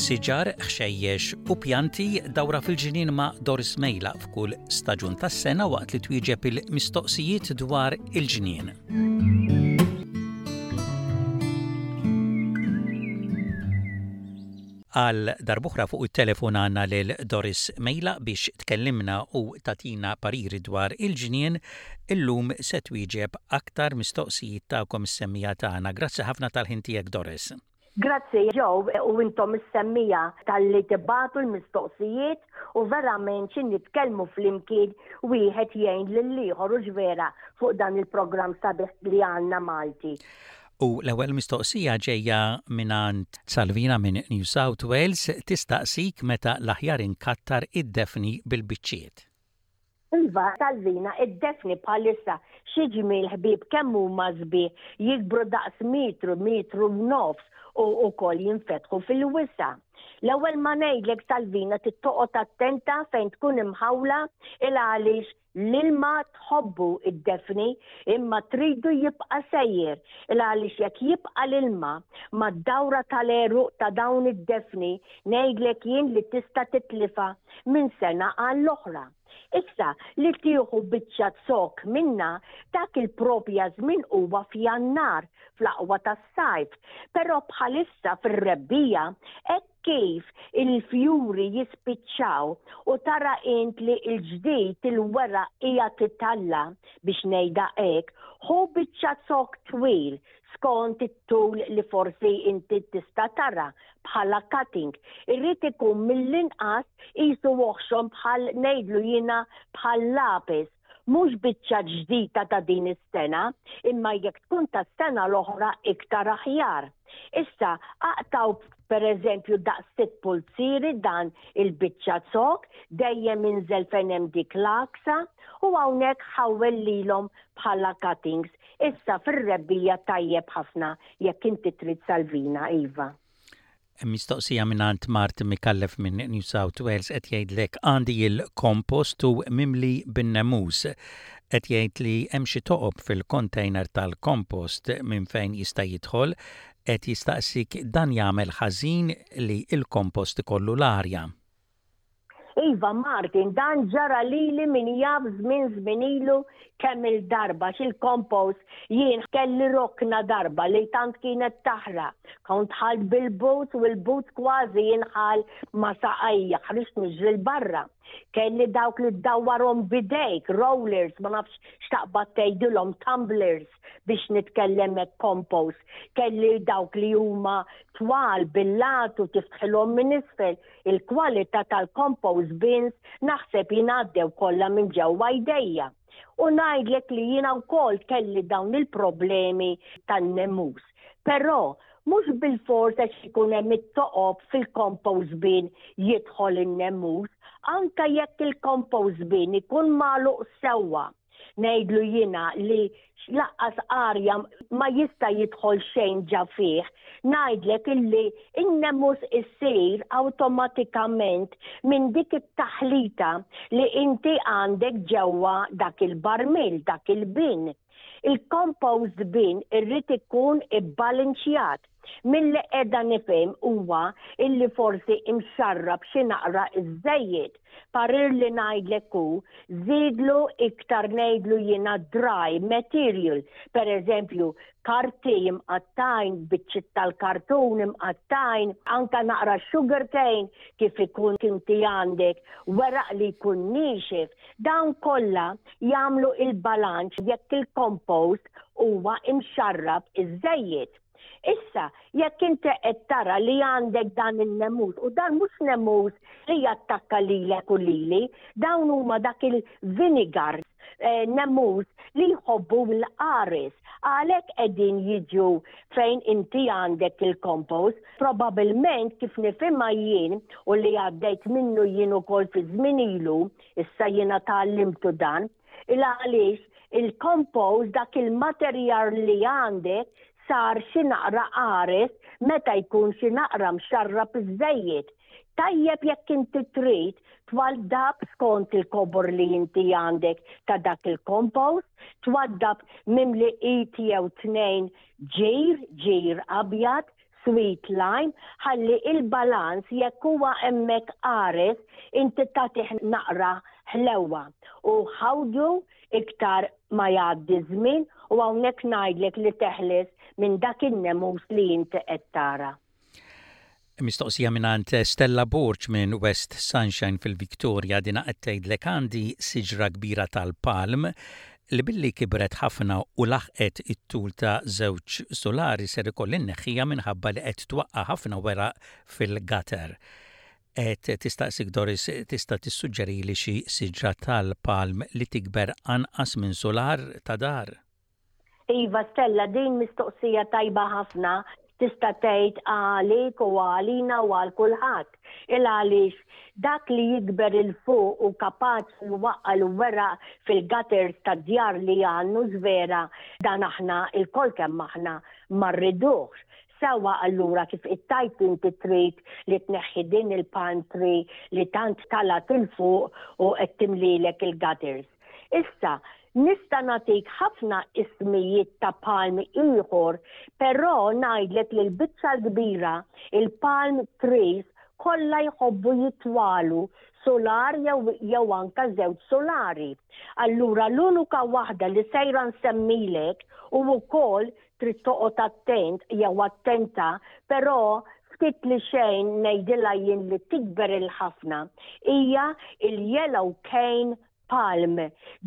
Siġar, ħxejjex u pjanti dawra fil-ġnien ma' Doris Mejla f'kull staġun tas-sena waqt li twieġeb il-mistoqsijiet dwar il-ġnien. Għal darb'oħra fuq it-telefon għandna lil Doris Mejla biex tkellimna u tagħtina pariri dwar il-ġnien. Illum se twieġeb aktar mistoqsijiet tagħkom is-semmiegħa tagħna. Grazzi ħafna tal-ħin tiegħek Doris. Grazzi Joe u intom is-semmiegħa talli tibagħtu l-mistoqsijiet u verament xi nitkellmu flimkien wieħed jgħin lill-ieħor hux vera fuq dan il-programm sabiħ li għandna Malti. U l-ewwel mistoqsija ġejja mingħand Salvina minn New South Wales tistaqsik meta l-aħjar inkattar id-defni bil-biċċiet. Iva, Salvina, id-defni bħalissa xi ġmiel ħbieb kemm huma sbieħ, jikbru daqs metru, metru u nofs u wkoll jinfetħu fil-wisa'. L-ewwel ma ngħidlek Salvina trid toqgħod attenta fejn tkun imħawla il għaliex L-ilma tħobbu id-defni imma tridu jibqa' sejjer il għaliex jekk jibqa' l-ilma mad-dawra tal-għeruq ta' dawn id-defni ngħidlek jien li tista' titlifha minn sena għall-oħra. Issa li tieħu biċċa zokk minnha dak il-propja żmien huwa f'Jannar fl-aqwa tas-sajf, però bħalissa fir-rebbiegħa hekk kif il-fjuri jispiċċaw u tara int li l-ġdid il-weraq qiegħed italla' biex ngħidha hekk, ħu biċċa zokk twil skont it-tul li forsi inti tista' tara bħala cutting. Irid ikun mill-inqas qisu oħxon bħal ngħidlu jiena bħal lapis. Mhux biċċa ġdida ta' din is-sena, imma jekk tkun tas-sena l-oħra iktar aħjar. Issa, aqtgħu pereżempju daqs sitt pulzieri dan il-biċċa zokk, dejjem inżel fejn hemm dik l-għaksa, u hawnhekk ħawwel lilhom bħala cuttings. Issa fir-rebbiegħa tajjeb ħafna jekk inti trid salvina, iva. Mistoqsija mingħand Martin Micallef minn New South Wales qed jgħidlek għandi il-kompost u mimli bin-nemus. Qed jgħid li hemm xi toqob fil-container tal-kompost minn fejn jista' jidħol. Qed jistaqsik dan jagħmel ħażin li l-kompost ikollu l-arja. Iva Martin, dan ġara lili min jaf żmien żmien ilu kemm-il darba għax il-compost jien kelli rokna darba li tant kienet taħraq. Kont dħalt bil-boots u l-boots kważi jinħall ma' saqajja, ħriġt niġri 'l barra. Kelli dawk li ddawwarhom b'idejk, rollers, ma nafx x'taqbad tgħidilhom, tumblers biex nitkellem hekk compost. Kelli dawk li huma twal bil-lat u tiftħilhom minn isfel. Il-kwalità tal-compost bins naħseb jien għaddew kollha minn ġewwa jdejja. U ngħidlek li jiena wkoll kelli dawn il-problemi tan-nemus. Però mhux bilfors għax ikun hemm it-toqob fil-compost bin jidħol in-nemus, anke jekk il-compost bin ikun magħluq sewwa. Ngħidlu jiena li laqqas arja ma jista' jidħol xejn ġa fih, ngħidlek illi n-nemus issir awtomatikament minn dik it-taħlita li inti għandek ġewwa dak il-barmil, dak il-bin. Il-compost bin irrid ikun ibbalinċjat. Milli qiegħda nifhem huwa illi forsi imxarrab xi naqra iżżejjed. Parir li ngħidlek hu żidlu iktar ngħidlu jiena dry material, per eżempju karti imqattgħin, biċċiet tal-kartun imqattgħin, anke naqra sugar cane kif ikun inti għandek weraq li jkun niexef. Dawn kollha jagħmlu il-balanċ jekk il-compost huwa imxarrab iżżejjed. Issa, jekk inti qed tara li għandek dan in-nemus, u dan mhux nemus li jattakka lilek u lili, dawn huma dak il-vinegar eh, nemus li jħobbu l-qares. Għalhekk qegħdin jiġu fejn inti għandek il-compost, probabilment kif nifhimha jien u li għaddejt minnu jien ukoll fi żmien ilu, issa jiena tgħallimtu dan, il għaliex il-compost dak il-materjal li għandek sar xi naqra qares meta jkun xi naqra mxarrab iżżejjed. Tajjeb jekk inti trid twaddab skont il-kobor li inti għandek ta' dak il-compost, twaddab mimli id jew tnejn ġir, ġir abjad, sweet lime ħalli il-balanz jekk huwa hemmhekk qares inti tagħtih naqra ħlewwa u ħawdu iktar ma jgħaddi ż-żmien u hawnhekk ngħidlek li teħles minn dak in-nemus li inti qed tara. Mistoqsija mingħand Stella Borg minn West Sunshine fil-Victoria dina qed tgħidlek għandi siġra kbira tal-palm li billi kibret ħafna u laħqet it-tul ta' żewġ sulari ser ikolli nneħħiha minħabba li qed twaqqa' ħafna weraq fil-gutter. Qed tistaqsik Doris tista' tissuġġerili xi siġra tal-palm li tikber anqas minn sular ta' dar? Iva Stella, din mistoqsija tajba ħafna tista' tgħid għalik u għalina u għal kulħadd. Il għaliex dak li jikber 'il fuq u kapaċi jwaqqa' l-weraq fil-gutters tad-djar li għandnu żvera dan aħna lkoll kemm aħna ma rriduhx. Sewwa allura kif qed tgħid inti trid li tneħħi din il-palm tree li tant talgħet 'il fuq u qed timlilek il-gutters. Issa, nista' nagħtik ħafna ismijiet ta' palm ieħor, però ngħidlek li l-biċċa l-kbira il-palm trees kollha jħobbu jitwalu sular jew jew anka żewġ sulari. Allura l-unika waħda li sejra nsemmilek u wkoll trid toqgħod attent jew attenta, però ftit li xejn ngħidilha jien li tikber il-ħafna hija il-yellow cane palm.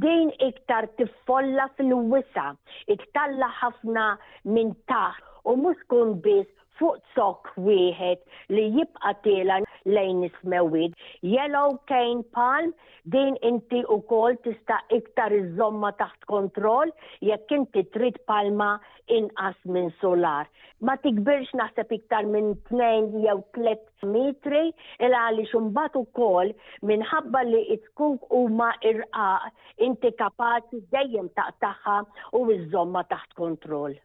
Din iktar tiffolla fil-wisa', ittalla' ħafna minn taħt u mhux tkun biss fuq zokk wieħed li jibqa' tiela' lejn is-smewwiet. Yellow cane palm, din inti wkoll tista' iktar iżżommha taħt kontroll jekk inti trid palma inqas minn sular. Ma tikbirx naħseb iktar minn 2 jew 3 metri il għaliex imbagħad ukoll minħabba li t-zkuk huma irqaq inti kapaċi dejjem taqtagħha u iżżommha taħt kontroll.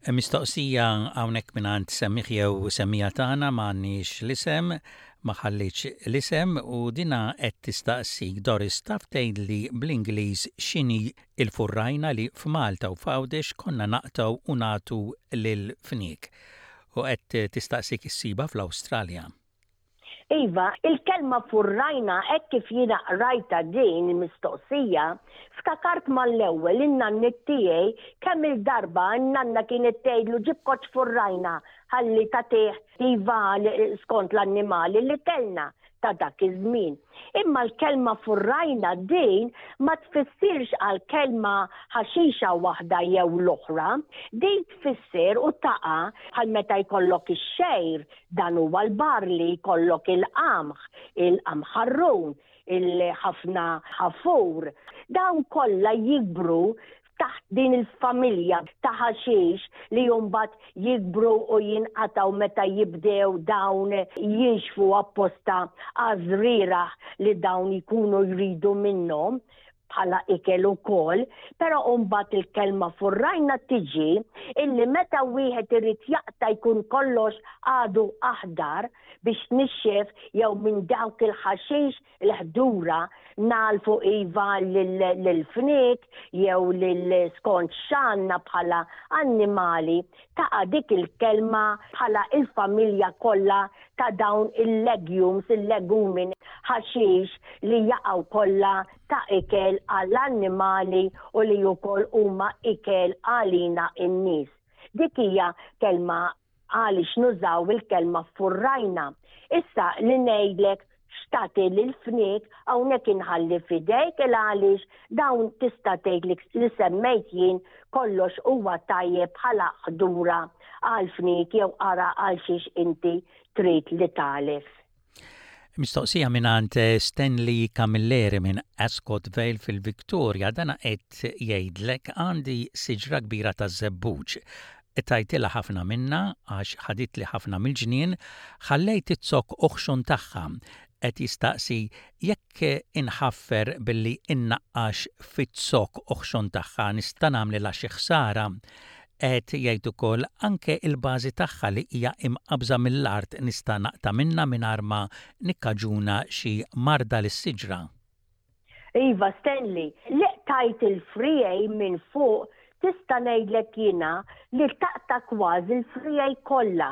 Mistoqsija hawnhekk mingħand semmiegħ jew semmiegħa tagħna m'għandniex l-isem, ma ħallietx l-isem u dinha qed tistaqsik Doris taf tgħidli bl-Ingliż x'inhi l-furrajna li f'Malta u f'Għawdex konna naqtgħu u nagħtu lill-fniek. U qed tistaqsik issibha fl-Awstralja. Iva, il-kelma furrajna hekk kif jiena qrajtha din il-mistoqsija, ftakart mal-ewwel in-nanniet tiegħi kemm-il darba n-nanna kienet tgħidlu ġib koċċ furrajna ħalli tagħtih iva skont l-annimali li kellna ta' dak iż-żmien. Imma l-kelma furrajna din ma tfissirx għal kelma ħaxixa waħda jew l-oħra, din tfisser u taqa' bħal meta jkollok ix-xgħir, dan huwa l-barli, jkollok il-qamħ, il-qamħarrun, il-ħafna ħafur. Dawn kollha jikbru taħt din il-familja ta' ħaxix li mbagħad jikbru u jinqatgħu meta jibdew dawn jinxfu apposta għaż-żrieragħ li dawn jkunu jridu minnhom bħala ikel ukoll, però mbagħad il-kelma furrajna tiġi illi meta wieħed irid jaqta' jkun kollox għadu aħdar biex nixxef jew minn dawk il-ħaxix il-ħdura nagħlfu iva lill-fniek jew lil skont x'għandna bħala annimali, taqa' dik il-kelma bħala il-familja kollha ta' dawn il-legumes, il-legumi, ħaxix li jaqgħu kollha ta' ikel għall-annimali u li wkoll huma ikel għalina n-nies. Dik hija kelma Għaliex nużaw il-kelma ffurrajna? Issa li ngħidlek x'tagħti lill-fniek hawnhekk inħalli f'idejk il għaliex dawn tista' tgħid li li semmejt jien kollox huwa tajjeb bħala ħdura għall-fniek jew ara għal xiex inti trid li tagħlef. Mistoqsija mingħand Stanley Camilleri minn Ascot Vale fil-Victoria, dana qed jgħidlek għandi siġra kbira taż-żebbuġ. Qtajtilha ħafna minnha għax ħaditli ħafna mill-ġnien, ħallejt iz-zokk oħxon tagħha. Qed jistaqsi jekk inħaffer billi innaqqax fiz-zokk oħxon tagħha nista' nagħmlilha xi ħsara. Qed jgħid ukoll anke il-bażi tagħha li hija imqabbża mill-art nista' naqta' minnha mingħajr ma nikkaġuna xi marda lis-siġra. Iva Stanley, li qtajt il-friegħi minn fuq Tista' ngħidlek jiena li taqta' kważi l-friegħi kollha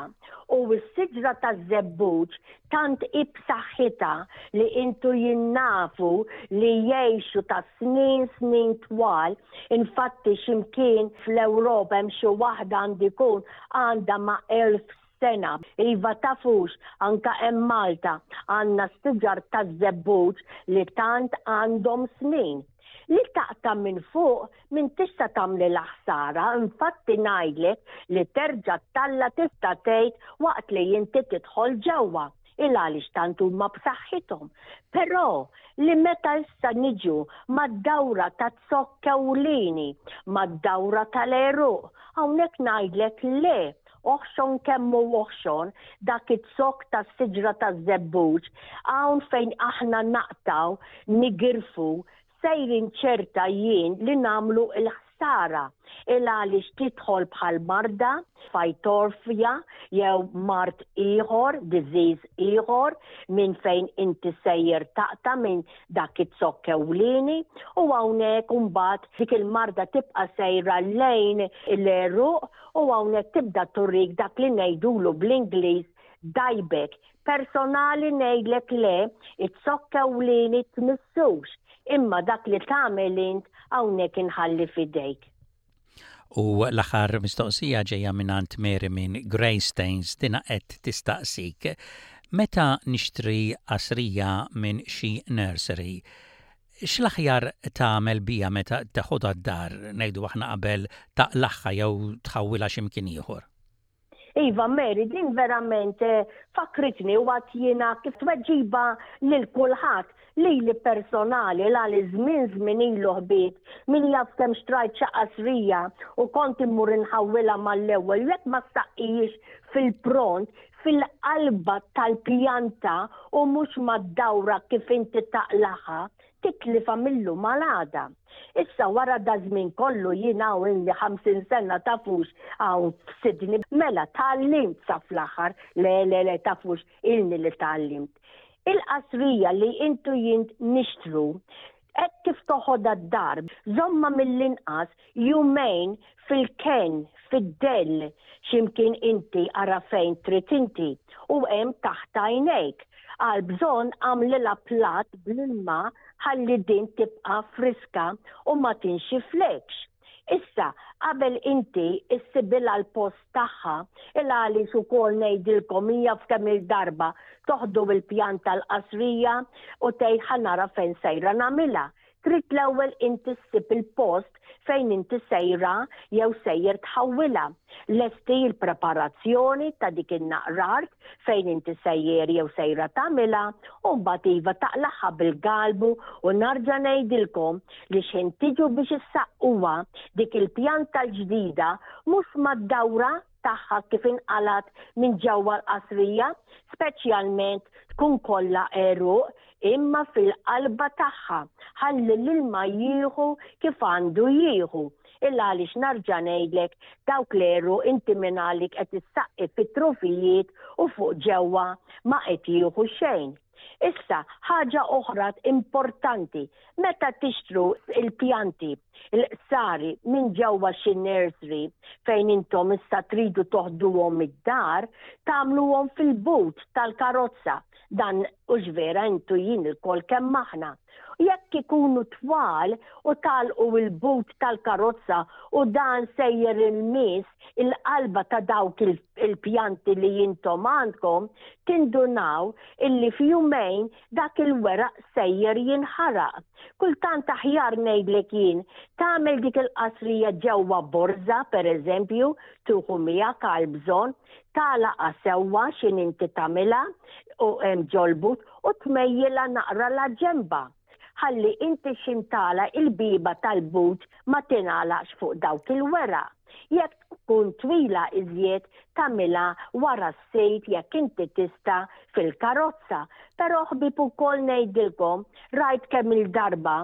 u s-siġra taż-żebbuġ tant hi b'saħħitha li intu jien nafu li jgħixu ta' snin snin twal, infatti xi mkien fl-Ewropa hemm xi waħda għandu jkun għandha ma' 1000 sena. Iva tafux, anka hemm Malta għandna siġar taż-żebbuġ li tant għandhom snin. Li taqta' minn fuq m'intix se tagħmlilha ħsara, infatti ngħidlek li terġa' ttalla' tista' tgħid waqt li inti tidħol ġewwa, il għaliex tant huma b'saħħithom. Però li meta issa niġu mad-dawra taz-zokk ewlieni, mad-dawra tal-għeruq, hawnhekk ngħidlek le, oħxon kemm hu oħxon dak iz-zokk tas-siġra taż-żebbuġ, hawn fejn aħna naqtgħu, nigirfu, sejrin ċerta jien li nagħmlu l-ħsara, il għaliex tidħol bħal marda, Phytophthora, jew mard ieħor, disease ieħor, minn fejn inti sejjer taqta' minn dak iz-zokk ewlieni, u hawnhekk imbagħad dik il-marda tibqa' sejra lejn l-għeruq u hawnhekk tibda turik dak li ngħidulu bl-Ingliż dieback. Personali ngħidlek le, iz-zokk ewlieni tmissux, imma dak li tagħmel int hawnhekk inħalli f'idejk. U l-aħħar mistoqsija ġejja mingħand Mary minn Greystanes dina qed tistaqsik, Meta nixtri qasrija minn xi nursery, x'l-aħjar tagħmel biha meta teħodha d-dar, ngħidu aħna qabel taqlagħha jew tħawwilha xi mkien ieħor? Iva Mary, din verament fakkritni u għad jiena kif tweġiba lil kulħadd, lili personali l għal żmien żmien ilu ħbieb, min jaf kemm xtrajt xi qasrija u kont immur inħawwilha mal-ewwel u jekk ma ssaqqihiex fil-pront, fil-qalba tal-pjanta u mhux mad-dawra kif inti taqlagħha, titlifha mil-lum għal għada. Issa wara daż-żmien kollu jien hawn ilni 50 sena tafux hawn f'Sydney, mela tgħallimt sa fl-aħħar, le le le tafux ilni li tgħallimt. Il-qasrija li int u jien nixtru, hekk kif toħodha d-dar, żommha mill-inqas jumejn fil-kenn, fid-dell, xi mkien inti ara fejn trid inti, u hemm taħt għajnejk. Għall-bżonn agħmlilha platt bl-ilma ħalli din tibqa' friska u ma tinxiflekx. Issa, qabel inti issibilha l-post tagħha, il għaliex ukoll ngħidilkom hija f'kemm-il darba toħdu l-pjan tal-qasrija u tgħid ħa nara fejn sejra nagħmilha. Trid l-ewwel inti ssib il-post fejn inti sejra jew sejjer tħawwilha. Lesti l-preparazzjoni ta' dik in-naqra art fejn inti sejjer jew sejra tagħmilha u mbagħad iva taqlagħha bil-galbu u narġa' ngħidilkom li x'ħin tiġu biex issaqquha dik il-pjanta l-ġdida mhux mad-dawra tagħha kif inqalgħet minn ġewwa l-qasrija, speċjalment tkun kollha għeruq, imma fil-qalba tagħha, ħalli l-ilma jieħu kif għandu jieħu. Il għaliex narġa' ngħidlek dawk l-għeruq inti mingħalik qed issaqqi fit-trufijiet u fuq ġewwa ma qed jieħu xejn. Issa, ħaġa oħra importanti, meta tixtru il-pjanti, il-qsari minn ġewwa xi nursery fejn intom issa tridu toħduhom id-dar, tagħmluhom fil-but tal-karozza. Dan hux vera intu jien ilkoll kemm aħna. Jekk ikunu twal u tagħlqu il-but tal-karozza u dan sejjer il-miss il-qalba ta' dawk il-pjanti li intom għandkom, tindunaw illi f'jumejn dak il-weraq sejjer jinħaraq. Kultant aħjar ngħidlek jien, tagħmel dik il-qasrija ġewwa borża, pereżempju, tieħu miegħek għall-bżonn, tagħlaqha sewwa x'in inti tagħmilha u hemm ġol-but u tmejjilha naqra la ġenbha ħalli inti x'in tagħlaq il-bieba tal-but ma tingħalaqx fuq dawk il-weraq. Jekk tkun twila iżjed tagħmilha wara s-seat jekk inti tista' fil-karozza. Però ħbieb ukoll ngħidilkom rajt kemm-il darba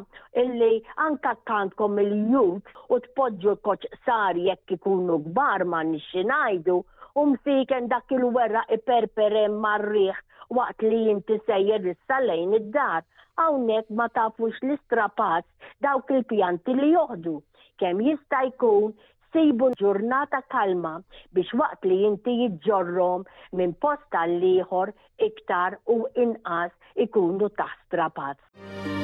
illi anke għandkom il-ute u tpoġġu l-koċ qsar jekk ikunu kbar m'għandniex xi ngħidu u msiken dak il-weraq iperper hemm mar-riħ waqt li inti sejjer issa lejn id-dar. Hawnhekk ma tafux l-istrapazz dawk il-pjanti li joħdu. Kemm jista' jkun sibu ġurnata kalma biex waqt li inti ġġorrhom minn post għal ieħor iktar u inqas ikunu taħt strapazz.